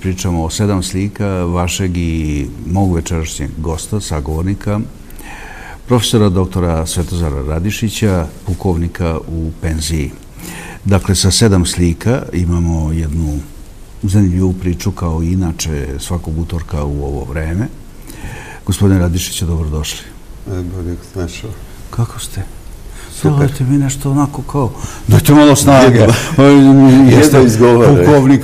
Pričamo o 7 slika vašeg i mog večerašnjeg gosta, sagovornika, profesora doktora Svetozara Radišića, pukovnika u penziji. Dakle, sa 7 slika imamo jednu zanimljivu priču, kao i inače svakog utorka u ovo vreme. Gospodine Radišiću, dobrodošli. Bolje našao. Kako ste? Dajte mi nešto onako kao, dajte malo snage. Jeste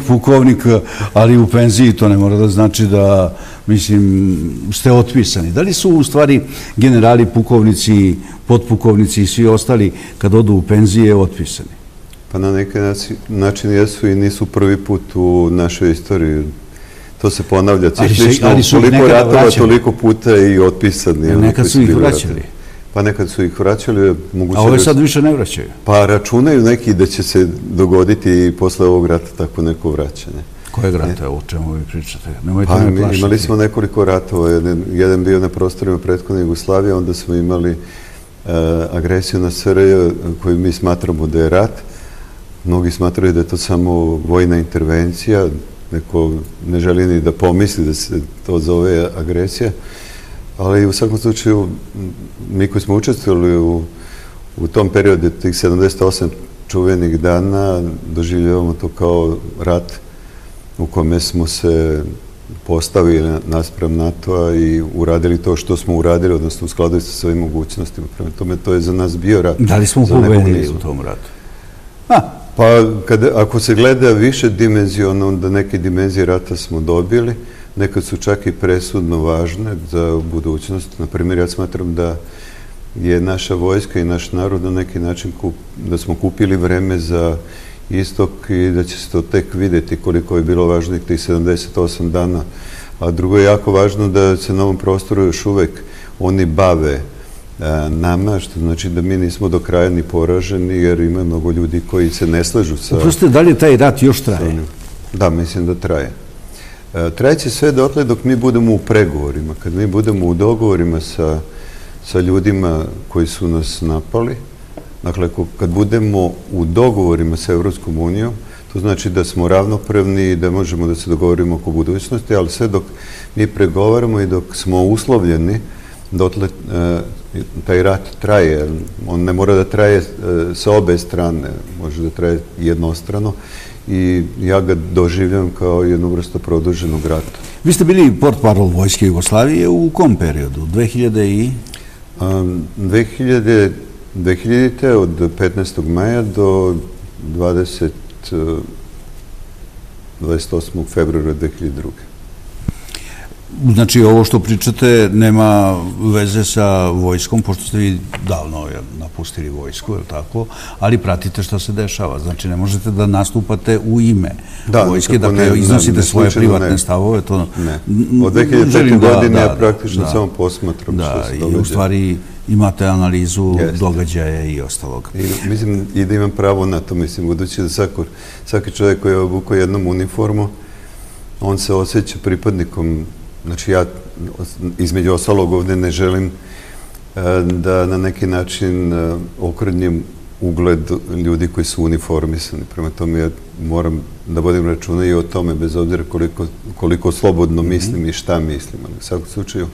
pukovnik, ali u penziji, to ne mora da znači da, mislim, ste otpisani. Da li su u stvari generali, pukovnici, potpukovnici i svi ostali kad odu u penzije otpisani? Pa na neki način jesu i nisu prvi put u našoj istoriji. To se ponavlja ciklično, toliko ratova, toliko puta i otpisani. Nekad su ih vraćali. Pa nekad su ih vraćali. A ove sad više ne vraćaju? Pa računaju neki da će se dogoditi i posle ovog rata tako neko vraćanje. Kojeg rata, o čemu vi pričate? Pa imali smo nekoliko ratova. Jedan bio na prostorima prethodne Jugoslavije, onda smo imali agresiju na SRJ koju mi smatramo da je rat. Mnogi smatraju da je to samo vojna intervencija. Neko ne želi ni da pomisli da se to zove agresija. Ali u svakom slučaju, mi koji smo učestvovali u tom periodu, tih 78 čuvenih dana, doživljavamo to kao rat u kome smo se postavili naspram NATO-a i uradili to što smo uradili, odnosno u skladu sa svojim mogućnostima. Prema tome, to je za nas bio rat. Da li smo pobedili u tom ratu? Pa, ako se gleda više dimenzijona, onda neke dimenzije rata smo dobili. Nekad su čak i presudno važne za budućnost. Naprimjer, ja smatram da je naša vojska i naš narod na neki način da smo kupili vreme za istok i da će se to tek vidjeti koliko je bilo važno tih 78 dana. A drugo je jako važno da se na ovom prostoru još uvek oni bave nama, što znači da mi nismo do kraja ni poraženi, jer ima mnogo ljudi koji se ne slažu sa... Uprosto, da li taj rat još traje? Da, mislim da traje. Trajeće sve dotle dok mi budemo u pregovorima. Kad mi budemo u dogovorima sa ljudima koji su nas napali, dakle, kad budemo u dogovorima sa Evropskom unijom, to znači da smo ravnopravni i da možemo da se dogovorimo oko budućnosti, ali sve dok mi pregovaramo i dok smo uslovljeni, dotle taj rat traje. On ne mora da traje sa obe strane, može da traje jednostrano. I ja ga doživljam kao jednu vrstu produženog rata. Vi ste bili portparol Vojske Jugoslavije u kom periodu? 2000. od 15. maja do 28. februara 2002. Znači, ovo što pričate nema veze sa vojskom, pošto ste vi davno napustili vojsku, je li tako? Ali pratite što se dešava. Znači, ne možete da nastupate u ime vojske, dakle, iznosite svoje privatne stavove. Ne. Od 2005. godine ja praktično samo posmatram što se događa. I u stvari imate analizu događaja i ostalog. Mislim i da imam pravo na to, mislim, budući da svaki čovjek koji je obukao jednom uniformu, on se osjeća pripadnikom. Znači, ja između ostalog ovdje ne želim da na neki način okrnjem ugled ljudi koji su uniformisani. Prema tome, ja moram da vodim računa i o tome, bez obzira koliko slobodno mislim i šta mislim. U svakom slučaju,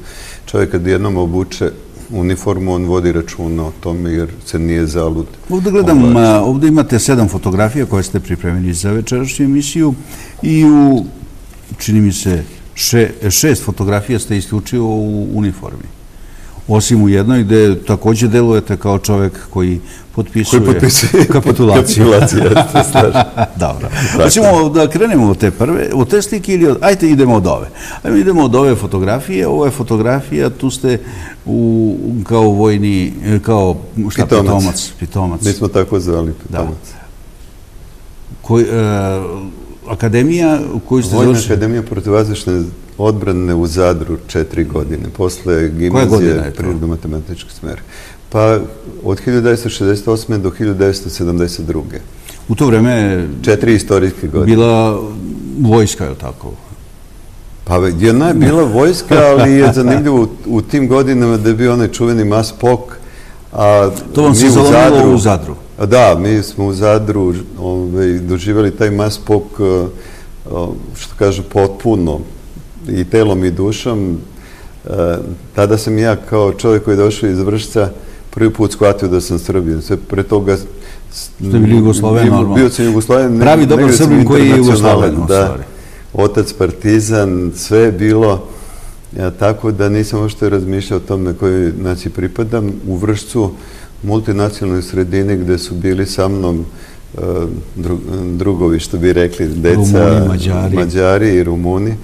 čovjek kad jednom obuče uniformu, on vodi računa o tome jer se nije zalud. Ovdje gledam, ovdje imate 7 fotografija koje ste pripremili za večerašnju emisiju i čini mi se, 6 fotografija ste isključivo u uniformi. Osim u jednoj gde također delujete kao čovjek koji potpisuje kapitulaciju. Dobro. Hoćemo da krenemo od te slike ili ajte idemo od ove. Ajmo idemo od ove fotografije. Ovo je fotografija, tu ste kao vojni, kao pitomac. Mi smo tako zvali pitomac. Akademija koju ste završili? Vojna akademija protivvazdušne odbrane u Zadru 4 godine. Posle gimnazije prirodno-matematičke smere. Pa od 1968. do 1972. U to vreme 4 istorijske godine. Bila vojska, je li tako? Pa jedna je bila vojska, ali je zanimljivo u tim godinama da je bio onaj čuveni Mas Pok. To vam se zalomilo u Zadru? Da, mi smo u Zadru doživjeli taj Mas Pok što kažu, potpuno i telom i dušom. Tada sam ja kao čovjek koji je došao iz Vršca prvi put shvatio da sam Srbin. Sve pre toga ste bili Jugosloven, normalno. Bio sam Jugosloven. Pravi dobar Srbin koji je Jugosloven, u stvari. Otac partizan, sve je bilo, tako da nisam uopšte razmišljao o tome kojoj naciji pripadam. U Vršcu, multinacionalnoj sredini gde su bili sa mnom drugovi, što bi rekli, deca, Mađari i Rumuni.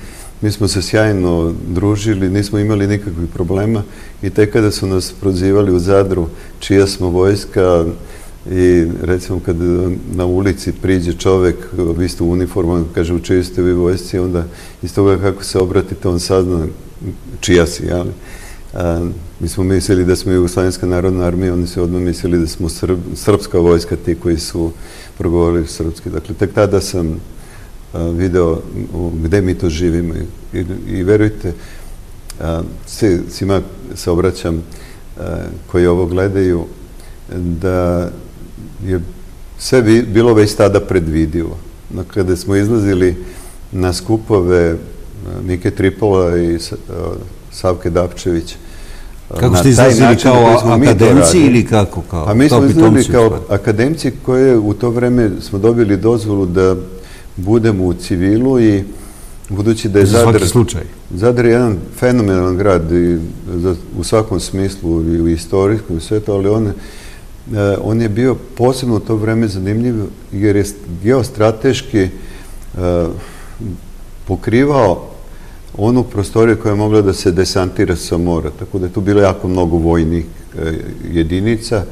Mi smo se sjajno družili, nismo imali nikakvih problema i tek kada su nas prozivali u Zadru čija smo vojska i recimo kad na ulici priđe čovek, vi ste u uniformu, kaže u čiji ste vi vojsci, onda iz toga kako se obratite on sazna čija si, jeli? Mi smo mislili da smo Jugoslovenska narodna armija, oni su odmah mislili da smo srpska vojska, ti koji su progovorili srpski. Dakle, tek tada sam video gde mi to živimo i verujte, svima se obraćam koji ovo gledaju, da je sve bilo već tada predvidivo. Kada smo izlazili na skupove Mike Tripola i Savke Dapčević, kako ste izlazili, kao akademci ili kako? A mi smo izlazili kao akademci koje u to vreme smo dobili dozvolu da budemo u civilu i budući da je Zadar je jedan fenomenalan grad u svakom smislu i u istorijskom i sve to, ali on je bio posebno u to vreme zanimljiv jer je geostrateški pokrivao onu prostoriju koja je mogla da se desantira sa mora. Tako da je tu bilo jako mnogo vojnih jedinica,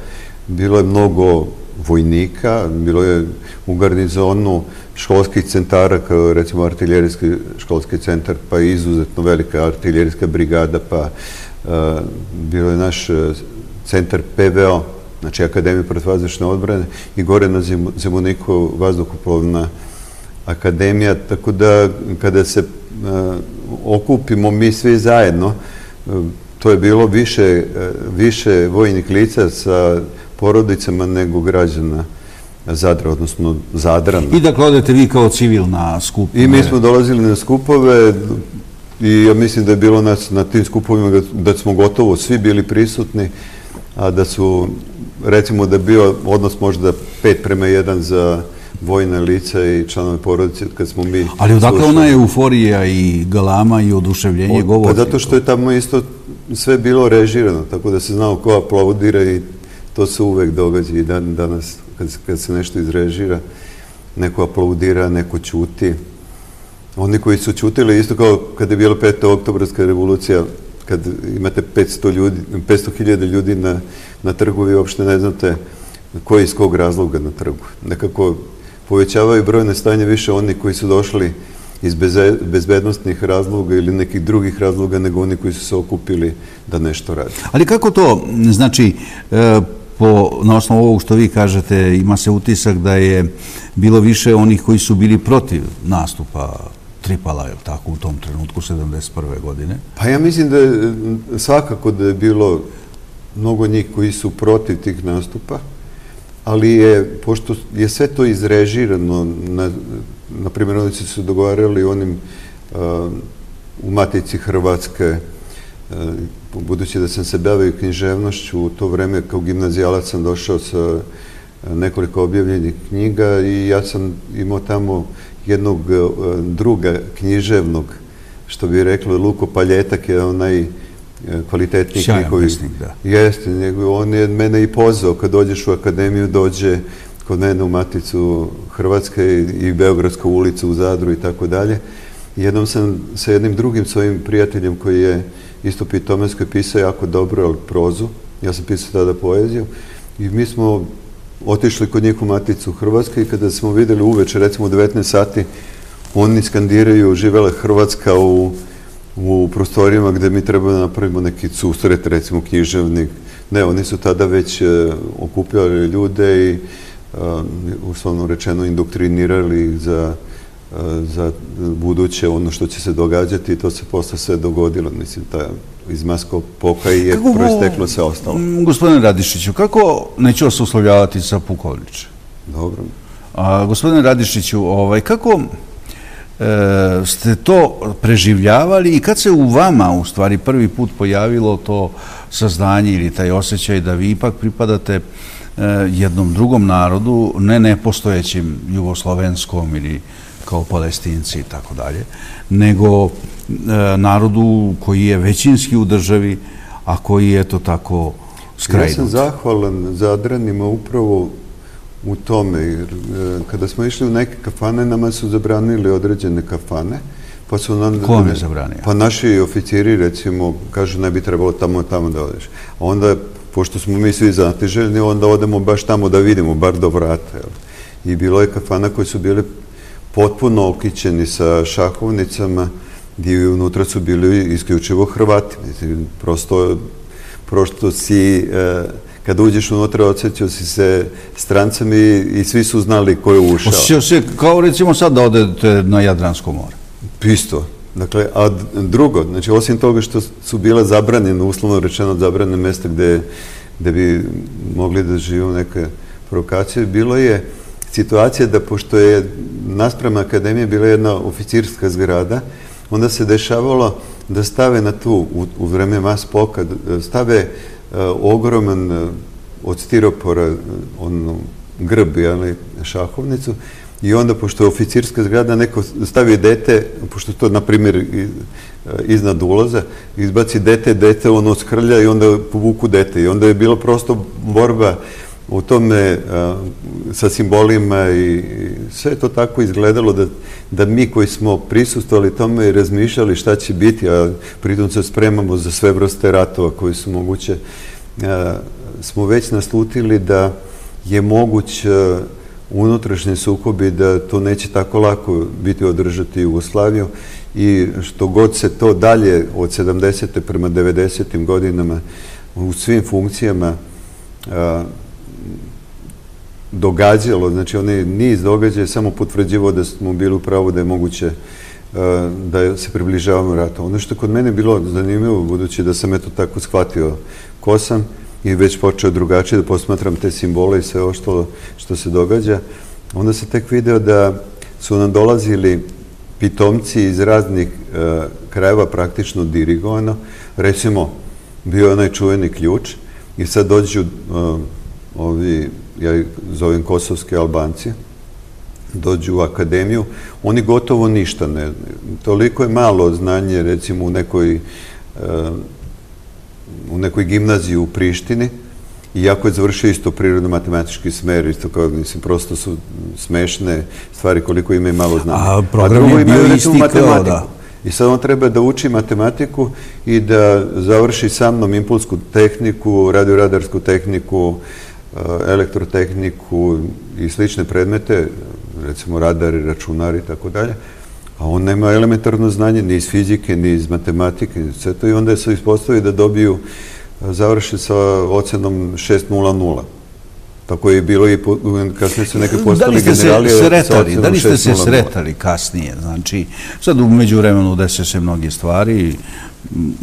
bilo je mnogo vojnika, bilo je u garnizonu školskih centara, kao recimo artiljerijski školski centar, pa i izuzetno velika artiljerijska brigada, pa bilo je naš centar PVO, znači Akademija protivvazdušne odbrane, i gore na Zemuniku vazduhoplovna akademija, tako da kada se okupimo mi svi zajedno, to je bilo više vojnih lica sa porodicama nego građana Zadra, odnosno Zadrana. I dakle, odete vi kao civil na skupove? I mi smo dolazili na skupove i ja mislim da je bilo nas na tim skupovima da smo gotovo svi bili prisutni, a da su, recimo da je bio odnos možda 5:1 za vojna lica i članove porodice, kad smo mi slušali. Ali odakle ona euforija i galama i oduševljenje govori? Pa zato što je tamo isto sve bilo režirano, tako da se znao ko aplaudira i to se uvek događa i danas kad se nešto izrežira, neko aplaudira, neko ćuti. Oni koji su ćutili, isto kao kad je bila 5. oktobarska revolucija, kad imate 500.000 ljudi na trgu, vi uopšte ne znate koji iz kog razloga na trgu. Nekako povećavaju brojne stanje više oni koji su došli iz bezbednostnih razloga ili nekih drugih razloga nego oni koji su se okupili da nešto radi. Ali kako to, znači, na osnovu ovog što vi kažete, ima se utisak da je bilo više onih koji su bili protiv nastupa Tripala, je li tako, u tom trenutku, 1971. godine? Pa ja mislim da je svakako da je bilo mnogo njih koji su protiv tih nastupa, ali je, pošto je sve to izrežirano, na primjer, oni su se dogovarali onim u Matici Hrvatske, budući da sam se bavio književnošću, u to vreme kao gimnazijalac sam došao sa nekoliko objavljenih knjiga i ja sam imao tamo jednog druga književnog, što bi reklo, Luko Paljetak je onaj kvalitetniji knjigovi. Jeste, on je mene i pozvao, kad dođeš u akademiju, dođe kod mene u Maticu Hrvatske i Beogradsku ulicu u Zadru i tako dalje. Jednom sam sa jednim drugim svojim prijateljem koji je isto pitomensko pisao jako dobro, ali prozu. Ja sam pisao tada poeziju. I mi smo otišli kod njih u Maticu Hrvatske i kada smo videli uveče, recimo u 19 sati, oni skandiraju živela Hrvatska u prostorijama gde mi treba da napravimo neki susret, recimo književnik. Ne, oni su tada već okupljali ljude i uslovno rečeno indoktrinirali za buduće ono što će se događati i to se posle sve dogodilo. Mislim, iz Maskog poka i je proisteklo sve ostalo. Gospodine Radišiću, kako, neću vas uslovljavati sa pukovniče? Dobro. Gospodine Radišiću, kako ste to preživljavali i kad se u vama u stvari prvi put pojavilo to saznanje ili taj osjećaj da vi ipak pripadate jednom drugom narodu, ne nepostojećim jugoslovenskom ili kao Palestinci i tako dalje, nego narodu koji je većinski u državi, a koji je to tako skrajnut. Ja sam zahvalan Zadranima upravo u tome, jer kada smo išli u neke kafane, nama su zabranili određene kafane. Pa su nam... Ko vam je zabranio? Pa naši oficiri, recimo, kažu ne bi trebalo tamo da odeš. A onda, pošto smo mi svi znatiželjni, onda odemo baš tamo da vidimo, bar do vrata. I bilo je kafana koji su bili potpuno okićeni sa šahovnicama, gdje unutra su bili isključivo Hrvati. Prosto si... Kada uđeš unutra, osjećao si se strancem i svi su znali ko je ušao. Osjećao se kao recimo sad da odete na Jadransko more. Isto. Dakle, a drugo, znači osim toga što su bila zabranjena, uslovno rečeno zabranjena mjesta gde bi mogli da živu neke provokacije, bilo je situacija da pošto je naspram akademije bila jedna oficirska zgrada, onda se dešavalo da stave na tu, u vreme Maspoka, stave ogroman od stiropora grb, šahovnicu, i onda, pošto je oficirska zgrada, neko stavi dete, pošto to, na primjer, iznad ulaza, izbaci dete, ono skrlja i onda povuku dete. I onda je bila prosto borba u tome sa simbolima i sve je to tako izgledalo da mi koji smo prisustvovali tome i razmišljali šta će biti, a pritom se spremamo za sve vrste ratova koji su moguće, smo već naslutili da je moguć unutrašnji sukobi, da to neće tako lako biti održati Jugoslaviju i što god se to dalje od 70. prema 90. godinama u svim funkcijama događalo, znači onaj niz događaja samo potvrđivao da smo bili u pravu da je moguće da se približavamo ratu. Ono što kod mene bilo zanimljivo, budući da sam eto tako shvatio ko sam i već počeo drugačije da posmatram te simbole i sve ovo što se događa, onda se tek video da su nam dolazili pitomci iz raznih krajeva praktično dirigovano. Recimo, bio je onaj čuveni Ključ i sad dođu ovi, ja ih zovem kosovski Albanci, dođu u akademiju, oni gotovo ništa ne znaju. Toliko je malo znanje, recimo, u nekoj gimnaziji u Prištini, iako je završio isto prirodno-matematički smer, isto kao, mislim, prosto su smešne stvari koliko ima i malo znanja. A program je bio isti kao, da. I sad on treba da uči matematiku i da završi sa mnom impulsku tehniku, radioradarsku tehniku, elektrotehniku i slične predmete, recimo radari, računari i tako dalje, a on nema elementarno znanje ni iz fizike, ni iz matematike, sve to, i onda se ispostavi da dobiju, završi sa ocenom 6.00. Tako je bilo i kasnije su neke postali generali sa ocenom 6.00. Da li ste se sretali kasnije? Znači, sad u međuvremenu dese se mnoge stvari,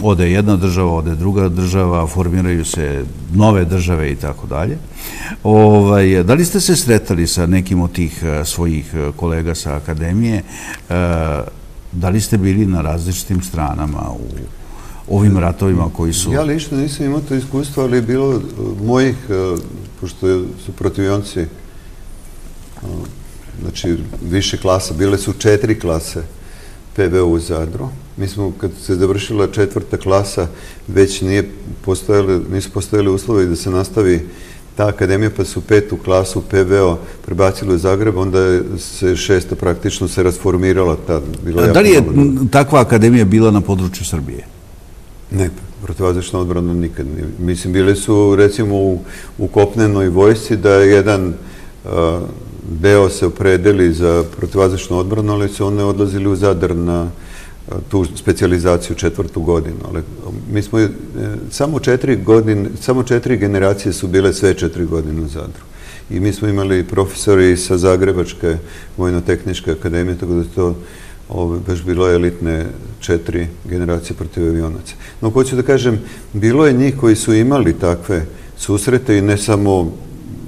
ode jedna država, ode druga država, formiraju se nove države i tako dalje. Da li ste se sretali sa nekim od tih svojih kolega sa akademije? Da li ste bili na različitim stranama u ovim ratovima koji su... Ja lično nisam imao to iskustvo, ali je bilo mojih, pošto su protivionci, znači više klasa, bile su 4 klase PVO u Zadru. Mi smo, kad se završila 4. klasa, već nisu postojali uslovi da se nastavi ta akademija, pa su 5. klasu PVO prebacili u Zagreb, onda se 6. praktično se rasformirala. Da li je takva akademija bila na području Srbije? Ne, protivvazdušna odbrana nikad nije. Mislim, bili su, recimo, u kopnenoj vojsci da jedan deo se opredeli za protivvazdušnu odbranu, ali su one odlazili u Zadar na tu specijalizaciju 4. godinu. Mi smo samo 4 generacije su bile sve 4 godine u Zadru. I mi smo imali profesori sa Zagrebačke vojno-tehničke akademije, tako da je to baš bilo elitne 4 generacije protivavionaca. No, hoću da kažem, bilo je njih koji su imali takve susrete i ne samo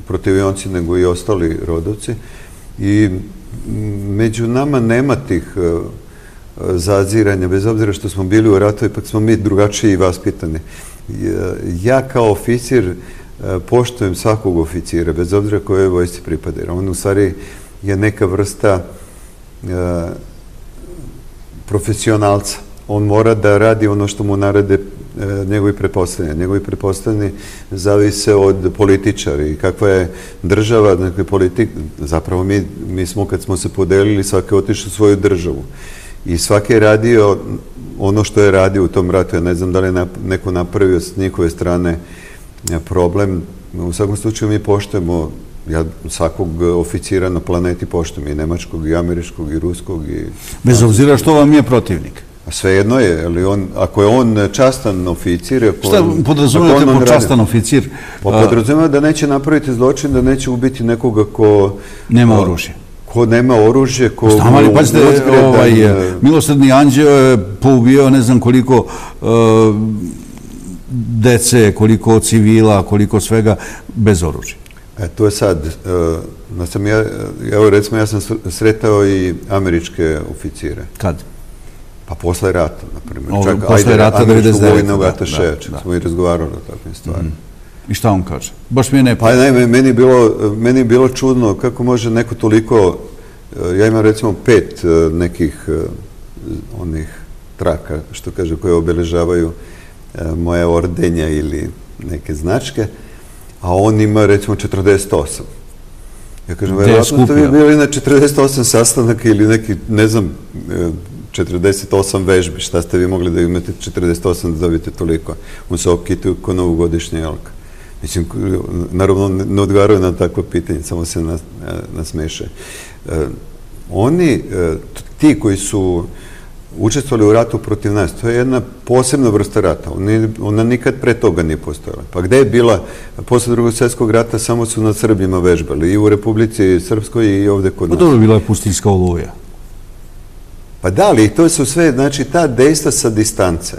protivavionci, nego i ostali rodovci. I među nama nema tih zaziranja, bez obzira što smo bili u ratu, ipak smo mi drugačiji i vaspitani. Ja kao oficir poštujem svakog oficira, bez obzira kojoj vojsci pripada. On u stvari je neka vrsta profesionalca. On mora da radi ono što mu narede njegovi pretpostavljeni. Njegovi pretpostavljeni zavise od političara i kakva je država, dakle politik. Zapravo mi smo, kad smo se podelili, svaki je otišao u svoju državu. I svaki je radio ono što je radio u tom ratu. Ja ne znam da li je neko napravio s njihove strane problem. U svakom slučaju mi poštujemo, ja svakog oficira na planeti poštujem, i nemačkog, i američkog, i ruskog. Bez obzira što vam je protivnik? Svejedno je, ali ako je on častan oficir... Šta podrazumijete pod častan oficir? Podrazumijete da neće napraviti zločin, da neće ubiti nekoga ko... Nema oružje. Ko nema oružje, ko... Stavali, pazite, Milosrdni anđeo je poubio ne znam koliko dece, koliko civila, koliko svega, bez oružja. To je sad, evo recimo ja sam sretao i američke oficire. Kad? Pa posle rata, na primjer. Posle rata 99. Vojnog atašeja, čak smo i razgovarali o takvim stvarima. I šta on kaže? Baš mi je ne... Pa ne, meni je bilo čudno kako može neko toliko... Ja imam recimo 5 nekih onih traka, što kaže, koje obeležavaju moje ordenja ili neke značke, a on ima recimo 48. Ja kažem, vjerojatno ste vi bili na 48 sastanaka ili neki, ne znam, 48 vežbi, šta ste vi mogli da imate 48 da dobijete toliko? On se okitaju ko novogodišnja jelka. Mislim, naravno ne odgovaraju na takvo pitanje, samo se nasmeše. Oni, ti koji su učestvovali u ratu protiv nas, to je jedna posebna vrsta rata. Ona nikad pre toga nije postojala. Pa gde je bila, posle Drugog svjetskog rata, samo su nad Srbima vežbali, i u Republici Srpskoj i ovde kod nas. Pa dobro, bila je pustinjska oluja. Pa da, ali to su sve, znači, ta dejstva sa distance.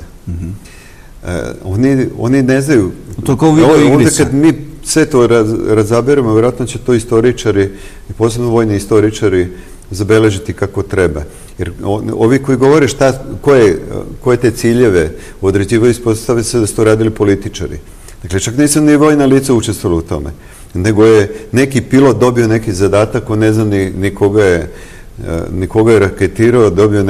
Oni ne znaju... To kao video igrica. Onda kad mi sve to razaberemo, vjerojatno će to istoričari, i posebno vojni istoričari, zabeležiti kako treba. Jer ovi koji govore koje te ciljeve određivaju, ispostave se da su to radili političari. Dakle, čak nisam ni vojna lica učestvovalo u tome. Nego je neki pilot dobio neki zadatak, on ne zna ni koga je raketirao, dobio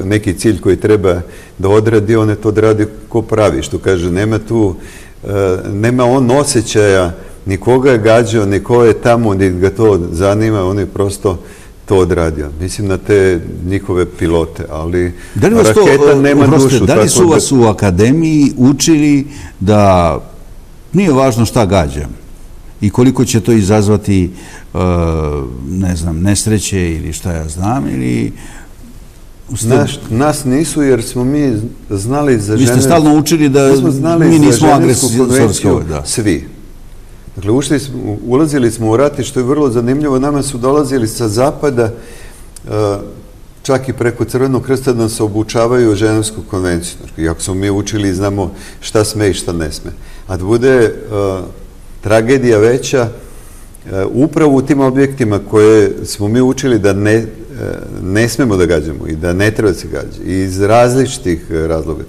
neki cilj koji treba da odradi, on je to odradio ko pravi, što kaže, nema on osjećaja, nikoga je gađao, niko je tamo, ni ga to zanima, on je prosto to odradio. Mislim na te njihove pilote, ali raketa nema dušu. Da li su vas u akademiji učili da nije važno šta gađam i koliko će to izazvati, ne znam, nesreće ili šta ja znam, ili... Nas nisu, jer smo mi znali za Vi ste stalno učili da mi nismo agresorski. Svi. Dakle, ulazili smo u rat i što je vrlo zanimljivo, nama su dolazili sa zapada, čak i preko Crvenog krsta, da se obučavaju Ženevsku konvenciju. Iako smo mi učili i znamo šta sme i šta ne sme. A da bude tragedija veća, upravo u tim objektima koje smo mi učili da ne smemo da gađamo i da ne treba da se gađa, iz različitih razloga,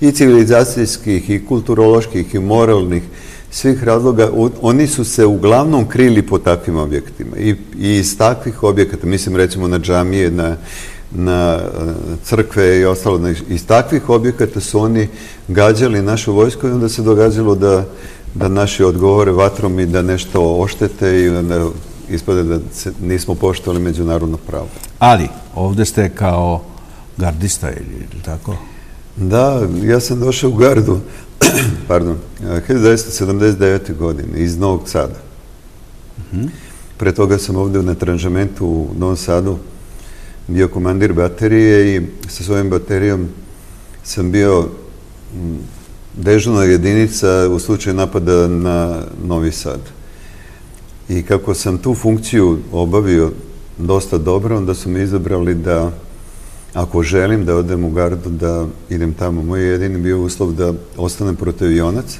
i civilizacijskih, i kulturoloških, i moralnih, svih razloga, oni su se uglavnom krili po takvim objektima i iz takvih objekata, mislim recimo na džamije, na crkve i ostalo, iz takvih objekata su oni gađali našu vojsku i onda se događalo da naši odgovore vatrom i da nešto oštete i da ispade da nismo poštovali međunarodno pravo. Ali, ovde ste kao gardista ili tako? Da, ja sam došao u gardu, pardon, 1979. godine iz Novog Sada. Pre toga sam ovde na tranžamentu u Novom Sadu bio komandir baterije i sa svojim baterijom sam bio dežurna jedinica u slučaju napada na Novi Sad. I kako sam tu funkciju obavio dosta dobro, onda su me izabrali da, ako želim da odem u gardu, da idem tamo. Moj jedini bio uslov da ostanem protivionac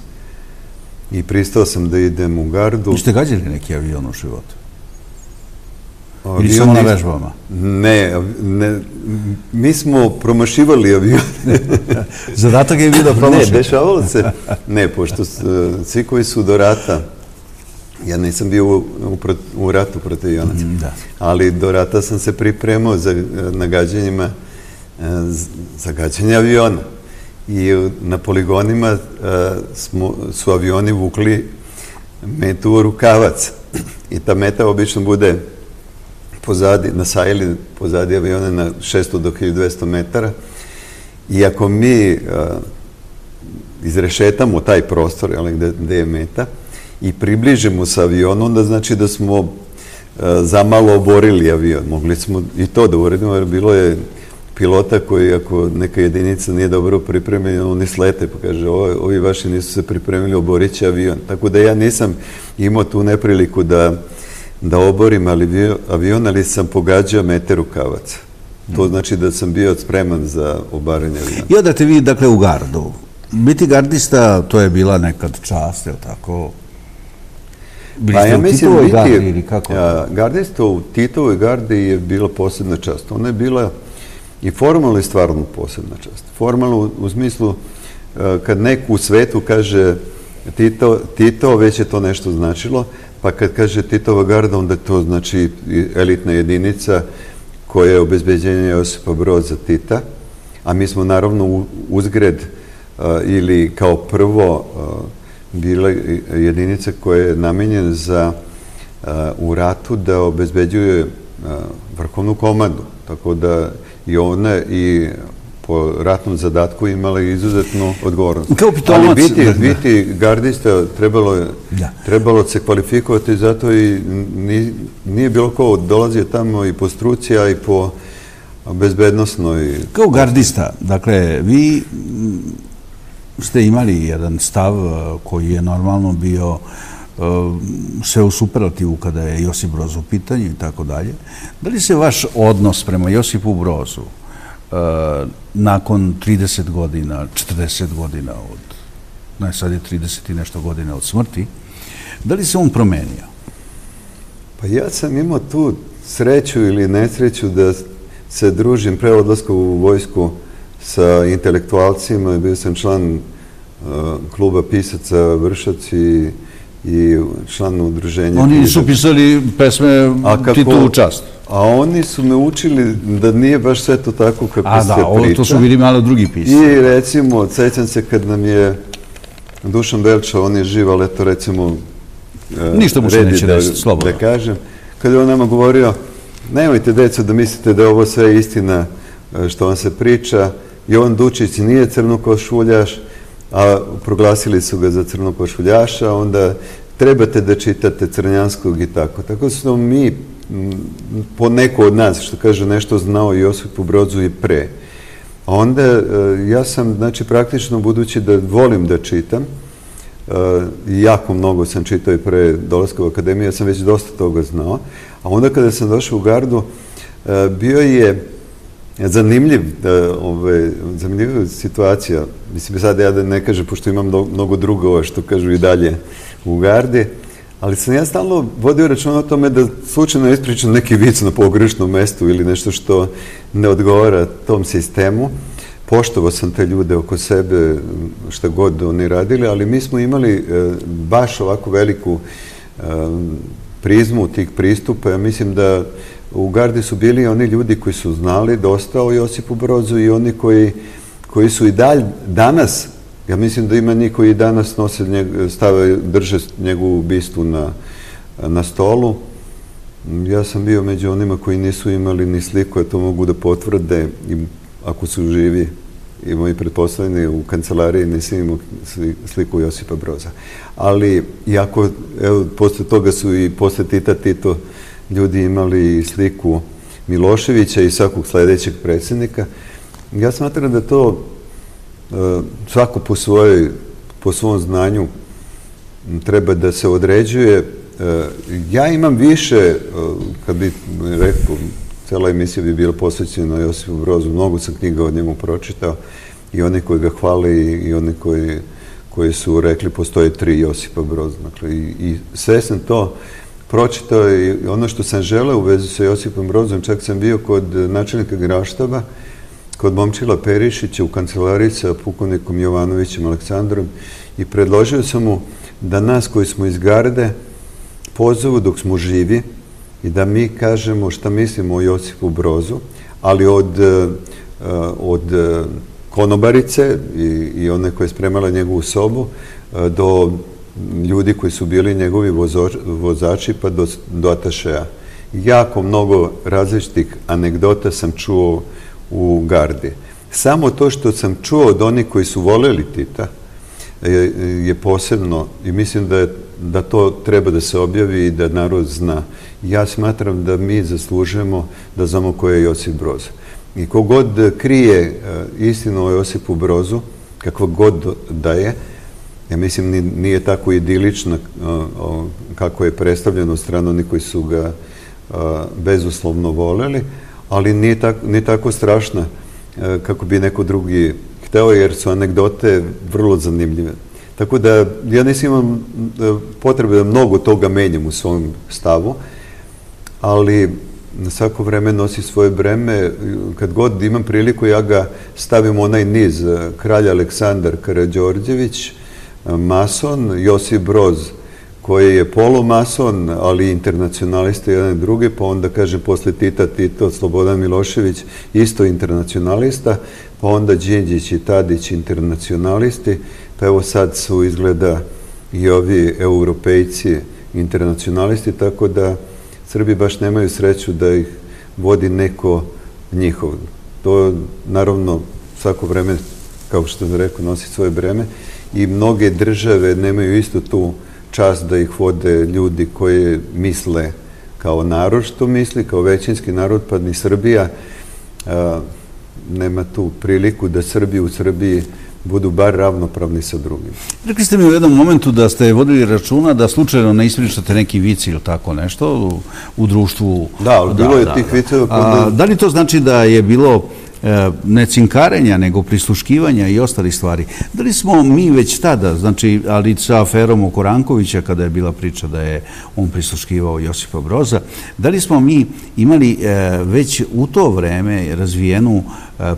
i pristao sam da idem u gardu. Ste gađali neki avion u životu? Ili samo na vežbama? Ne, mi smo promašivali avion. Zadatak je bio da promašite? Ne, dešavalo se. Ne, pošto svi koji su do rata, ja nisam bio u ratu protiv avionaca, ali do rata sam se pripremao na gađanjima za gađanje aviona. I na poligonima su avioni vukli metu u rukavac. I ta meta obično bude pozadi, na sajli pozadi aviona na 600 do 1200 metara. I ako mi izrešetamo taj prostor gde je meta i približimo sa avionu, onda znači da smo zamalo oborili avion. Mogli smo i to da uradimo, jer bilo je pilota koji, ako neka jedinica nije dobro pripremljena, oni slete, pa kaže, ovi vaši nisu se pripremili, oborit će avion. Tako da ja nisam imao tu nepriliku da oborim avion, ali sam pogađao mete rukavaca. To znači da sam bio spreman za obaranje aviona. I odate vi, dakle, u gardu. Biti gardista, to je bila nekad čast, je li tako? Bili ste u Titovoj gardi ili kako? Gardista u Titovoj gardi je bila posebna čast. Ona je bila i formalno i stvarno posebna čast. Formalno u smislu, kad neko u svetu kaže Tito, već je to nešto značilo, pa kad kaže Titova garda, onda to znači elitna jedinica koja je obezbeđenje Josipa Broza Tita, a mi smo naravno uzgred ili kao prvo bila jedinica koja je namenjena za u ratu da obezbeđuje vrhovnu komandu. Tako da i ona i po ratnom zadatku imala izuzetnu odgovornost. Ali biti gardista trebalo se kvalifikovati, zato i nije bilo ko dolazio tamo i po struci, a i po bezbednosnoj... Kao gardista, dakle, vi ste imali jedan stav koji je normalno bio sve u superlativu kada je Josip Broz u pitanju i tako dalje. Da li se vaš odnos prema Josipu Brozu nakon 30 godina, 40 godina od, sad je 30 i nešto godina od smrti, da li se on promenio? Pa ja sam imao tu sreću ili nesreću da se družim pre odlaska u vojsku sa intelektualcima. Bio sam član kluba pisaca Vršac i član udruženja. Oni su pisali pesme Titovu čast. A oni su me učili da nije baš sve to tako kako se priča. To su bili malo drugi pisci. I recimo, sećam se kad nam je Dušan Belča, on je živ, ali eto recimo ništa mu se neće desiti, slobodno. Da kažem, kada je on nama govorio, nemojte deco da mislite da je ovo sve istina što vam se priča, Jovan Dučić nije crnokošuljaš, a proglasili su ga za crnokošuljaša, onda trebate da čitate Crnjanskog i tako. Tako smo mi, po neko od nas, što kaže, nešto znao Josipu Brozu i pre. A onda ja sam, znači, praktično, budući da volim da čitam, jako mnogo sam čitao i pre dolaska u akademiju, ja sam već dosta toga znao, a onda kada sam došao u gardu, bio je zanimljiva situacija. Mislim, sad ja da ne kažem, pošto imam mnogo drugova što kažu i dalje u gardi, ali sam ja stalno vodio računa o tome da slučajno ispričam neki vic na pogrešnom mestu ili nešto što ne odgovara tom sistemu. Poštovao sam te ljude oko sebe, šta god oni radili, ali mi smo imali baš ovako veliku prizmu tih pristupa. Ja mislim da u gardi su bili oni ljudi koji su znali dosta o Josipu Brozu i oni koji su i dalje danas, ja mislim da ima njih koji i danas drže njegovu bistu na stolu. Ja sam bio među onima koji nisu imali ni sliku, a to mogu da potvrde, ako su živi i moji pretpostavljeni u kancelariji, nisam imao sliku Josipa Broza. Ali, iako, evo, posle toga su i posle Tito ljudi imali sliku Miloševića i svakog sledećeg predsjednika, ja smatram da to svako po svom znanju treba da se određuje. Ja imam više, kad bi rekao, cela emisija bi bila posvećena Josipu Brozu, mnogo sam knjiga od njemu pročitao, i oni koji ga hvale i oni koji su rekli postoje 3 Josipa Broza. I sve sam to pročitao i ono što sam želeo u vezi sa Josipom Brozom, čak sam bio kod načelnika Generalštaba, kod Momčila Perišića u kancelariji sa pukovnikom Jovanovićem Aleksandrom i predložio sam mu da nas koji smo iz garde pozovu dok smo živi i da mi kažemo šta mislimo o Josipu Brozu, ali od konobarice i one koja je spremala njegovu sobu do ljudi koji su bili njegovi vozači pa do atašeja. Jako mnogo različitih anegdota sam čuo u gardi. Samo to što sam čuo od onih koji su voleli Tita je posebno i mislim da to treba da se objavi i da narod zna. Ja smatram da mi zaslužujemo da znamo ko je Josip Broz. I kogod krije istinu o Josipu Brozu, kakva god da je, ja mislim nije tako idilična kako je predstavljeno od strane onih koji su ga bezuslovno voleli, ali nije tako strašna kako bi neko drugi hteo, jer su anegdote vrlo zanimljive. Tako da ja nisam imam potrebe da mnogo toga menjam u svom stavu, ali na svako vreme nosi svoje breme. Kad god imam priliku, ja ga stavim u onaj niz. Kralj Aleksandar Karađorđević, mason, Josip Broz, koji je polumason, ali internacionalista jedan i drugi, pa onda kažem posle Tito, Slobodan Milošević, isto internacionalista, pa onda Đinđić i Tadić internacionalisti, pa evo sad su izgleda i ovi europejci internacionalisti, tako da Srbi baš nemaju sreću da ih vodi neko njihov. To naravno svako vreme, kao što sam rekao, nosi svoje breme i mnoge države nemaju isto tu čast da ih vode ljudi koji misle kao narod što misli, kao većinski narod, pa ni Srbija nema tu priliku da Srbi u Srbiji budu bar ravnopravni sa drugim. Rekli ste mi u jednom momentu da ste vodili računa da slučajno ne ispričate neki vic ili tako nešto u društvu. Da, bilo je tih viceva. Da li to znači da je bilo ne cinkarenja, nego prisluškivanja i ostalih stvari? Da li smo mi već tada, znači, ali sa aferom oko Rankovića, kada je bila priča da je on prisluškivao Josipa Broza, da li smo mi imali već u to vreme razvijenu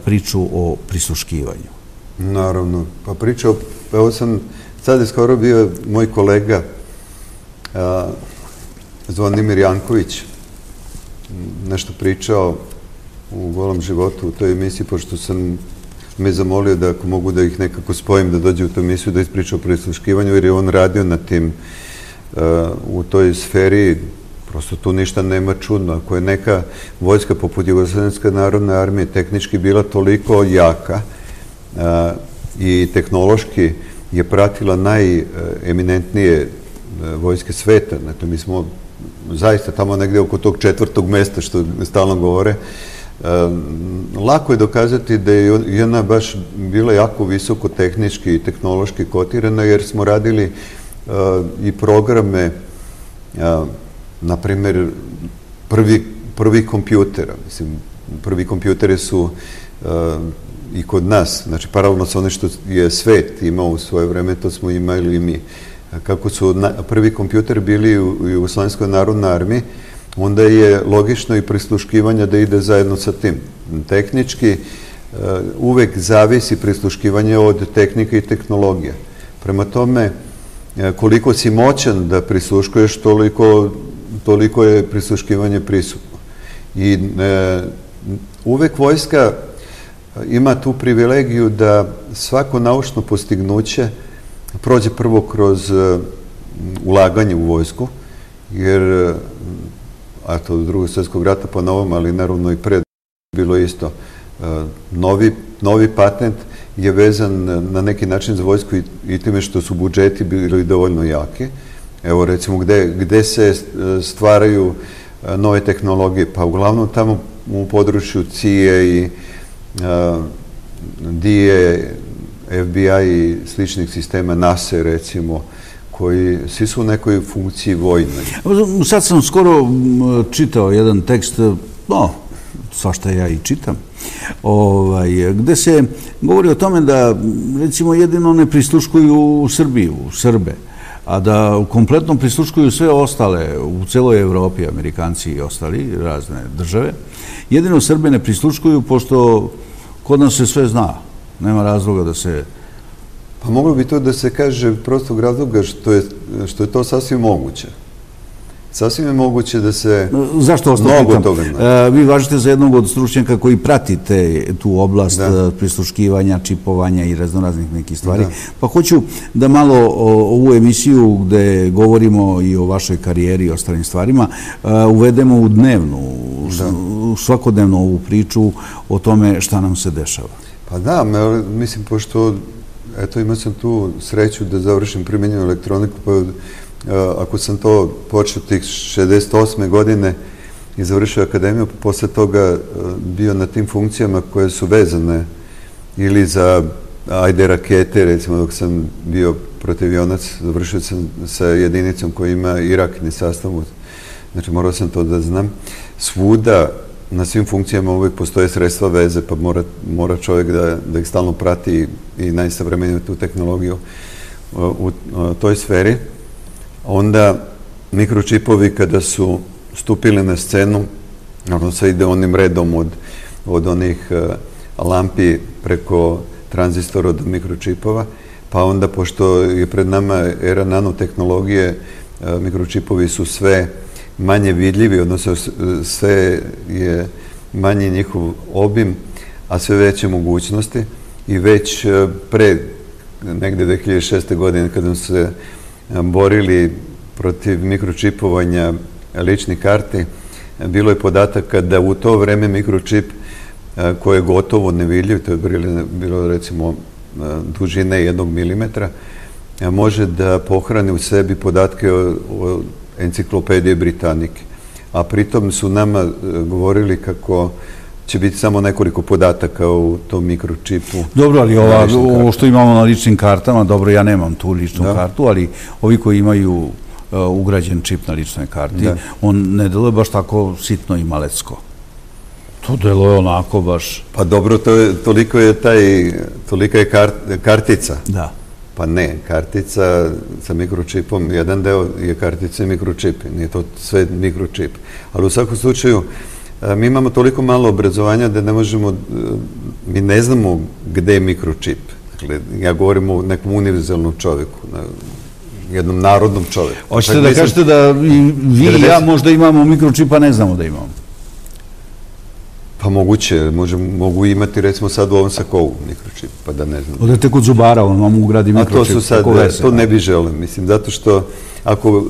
priču o prisluškivanju? Naravno. Pa pričao, evo sam, sad je skoro bio moj kolega Zvonimir Janković, nešto pričao u Golom životu u toj emisiji, pošto sam me zamolio da ako mogu da ih nekako spojim da dođe u tu emisiju da ispriča o prisluškivanju, jer je on radio na tim u toj sferi. Prosto tu ništa nema čudno. Ako je neka vojska poput Jugoslovenske narodne armije tehnički bila toliko jaka i tehnološki je pratila najeminentnije vojske sveta. Dakle, mi smo zaista tamo negde oko tog 4. mesta, što stalno govore. Lako je dokazati da je ona baš bila jako visoko tehnički i tehnološki kotirana, jer smo radili i programe, na primjer, prvi kompjutera. Mislim, prvi kompjuteri su i kod nas, znači paralelno sa ono što je svet imao u svoje vreme, to smo imali i mi. Kako su prvi kompjuteri bili u Jugoslovenskoj narodnoj armiji, onda je logično i prisluškivanje da ide zajedno sa tim. Tehnički uvek zavisi prisluškivanje od tehnike i tehnologije. Prema tome, koliko si moćan da prisluškuješ, toliko je prisluškivanje prisutno. I uvek vojska ima tu privilegiju da svako naučno postignuće prođe prvo kroz ulaganje u vojsku, jer a to od Drugog svjetskog rata po novom, ali naravno i pred bilo isto. Novi patent je vezan na neki način za vojsku i time što su budžeti bili dovoljno jaki. Evo recimo gde se stvaraju nove tehnologije, pa uglavnom tamo u području CIA i DIA, FBI i sličnih sistema, NASA recimo, koji svi su u nekoj funkciji vojnoj. Sad sam skoro čitao jedan tekst, svašta ja i čitam, gde se govori o tome da, recimo, jedino ne prisluškuju Srbiju, Srbe, a da kompletno prisluškuju sve ostale u celoj Evropi, Amerikanci i ostali, razne države. Jedino Srbe ne prisluškuju, pošto kod nas se sve zna. Nema razloga da se... Pa moglo bi to da se kaže prostog razloga što je to sasvim moguće. Sasvim je moguće da se mnogo toga zna. Vi važite za jednog od stručnjaka koji pratite tu oblast prisluškivanja, čipovanja i raznoraznih nekih stvari. Pa hoću da malo ovu emisiju gde govorimo i o vašoj karijeri i ostalim stvarima uvedemo u dnevnu, svakodnevno ovu priču o tome šta nam se dešava. Pa da, mislim, pošto eto, imao sam tu sreću da završim primenjenu elektroniku, pa ako sam to počeo tih 68. godine i završio akademiju, pa posle toga bio na tim funkcijama koje su vezane ili za, ajde, rakete, recimo dok sam bio protivionac, završio sam sa jedinicom koja ima i raketni sastav, znači morao sam to da znam. Svuda, na svim funkcijama uvijek postoje sredstva veze, pa mora čovjek da ih stalno prati i najsavremeniju tu tehnologiju u toj sferi. Onda mikročipovi kada su stupili na scenu, ono se ide onim redom od onih lampi preko tranzistora do mikročipova, pa onda pošto je pred nama era nanotehnologije, mikročipovi su sve manje vidljivi, odnosno sve je manji njihov obim, a sve veće mogućnosti i već pre negde 2006. godine kada su se borili protiv mikročipovanja ličnih karti, bilo je podataka da u to vreme mikročip koji je gotovo nevidljiv, to je bilo recimo dužine 1 milimetra, može da pohrani u sebi podatke o enciklopedije Britanike. A pritom su nama govorili kako će biti samo nekoliko podataka u tom mikročipu. Dobro, ali ovo što imamo na ličnim kartama, dobro, ja nemam tu ličnu kartu, ali ovi koji imaju ugrađen čip na ličnoj karti, on ne deluje baš tako sitno i malecko. To deluje onako baš... Pa dobro, tolika je kartica. Da. Pa ne, kartica sa mikročipom, jedan deo je kartica i mikročip, nije to sve mikročip. Ali u svakom slučaju, mi imamo toliko malo obrazovanja da ne možemo, mi ne znamo gde je mikročip. Dakle, ja govorim o nekom univerzalnom čoveku, jednom narodnom čoveku. Hoćete da kažete da vi i ja možda imamo mikročip, a ne znamo da imamo? Pa moguće, mogu imati recimo sad u ovom sakovu mikročip, pa da ne znam. Odete kod zubara, on vam ugradi mikročip. A to su sad, to ne bi želeo, mislim, zato što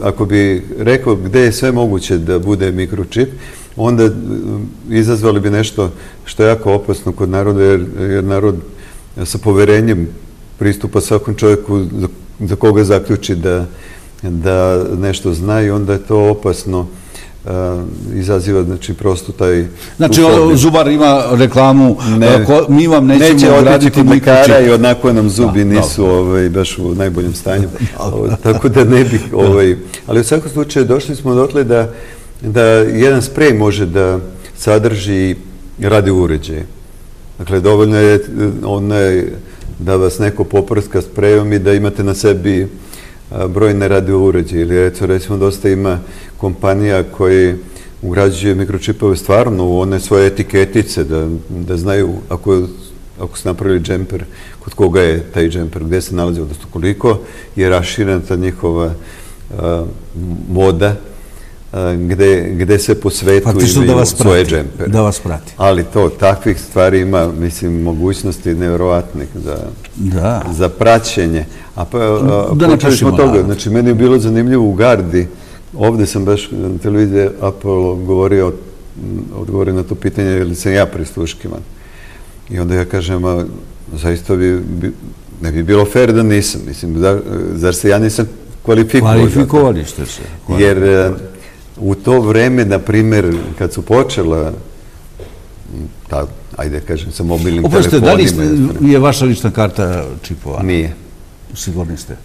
ako bi rekao gde je sve moguće da bude mikročip, onda izazvali bi nešto što je jako opasno kod naroda, jer narod sa poverenjem pristupa svakom čovjeku za koga zaključi da nešto zna i onda je to opasno. Izaziva, znači, prosto taj... Znači, zubar ima reklamu, mi vam nećemo ugraditi mikročip. I odnako nam zubi nisu baš u najboljem stanju. Tako da ne bih... Ali u svakom slučaju došli smo dotle da jedan sprej može da sadrži radio uređaje. Dakle, dovoljno je da vas neko poprska sprejom i da imate na sebi brojne radio uređaje. Ili recimo dosta ima kompanija koji ugrađuju mikročipove stvarno u one svoje etiketice, da znaju ako su napravili džemper, kod koga je taj džemper, gde se nalazi, odnosno koliko je raširena ta njihova moda, gde se po svetu imaju svoje džempere. Da vas prati. Ali takvih stvari ima, mislim, mogućnosti nevjerovatnih za praćenje. Počeli smo toga, znači meni je bilo zanimljivo u Gardi, ovde sam baš na televiziji Apollo odgovorio na to pitanje, ili sam ja prisluškivan. I onda ja kažem, zaista ne bi bilo fair da nisam, mislim, zar se ja nisam kvalifikovao? Kvalifikovali ste se. Jer u to vreme, na primjer, kad su počela, ajde kažem, sa mobilnim telefonima... Oprostite, da li je vaša lična karta čipovana? Nije. Sigurni ste?